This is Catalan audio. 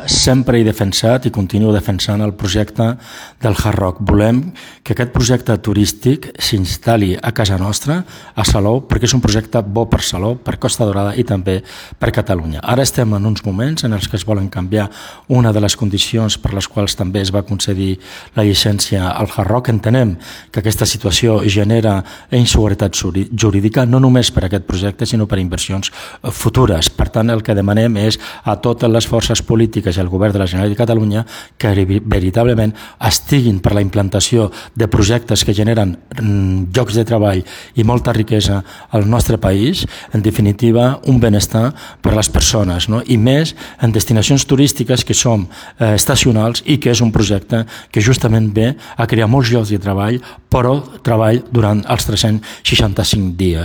Sempre he defensat i continuo defensant el projecte del Hard Rock. Volem que aquest projecte turístic s'instal·li a casa nostra, a Salou, perquè és un projecte bo per Salou, per Costa Daurada i també per Catalunya. Ara estem en uns moments en els que es volen canviar una de les condicions per les quals també es va concedir la llicència al Hard Rock. Entenem que aquesta situació genera inseguretat jurídica, no només per aquest projecte, sinó per inversions futures. Per tant, el que demanem és a totes les forces polítiques i al Govern de la Generalitat de Catalunya que veritablement estiguin per la implantació de projectes que generen llocs de treball i molta riquesa al nostre país, en definitiva un benestar per a les persones, no? I més en destinacions turístiques que són estacionals i que és un projecte que justament ve a crear molts llocs de treball, però treball durant els 365 dies.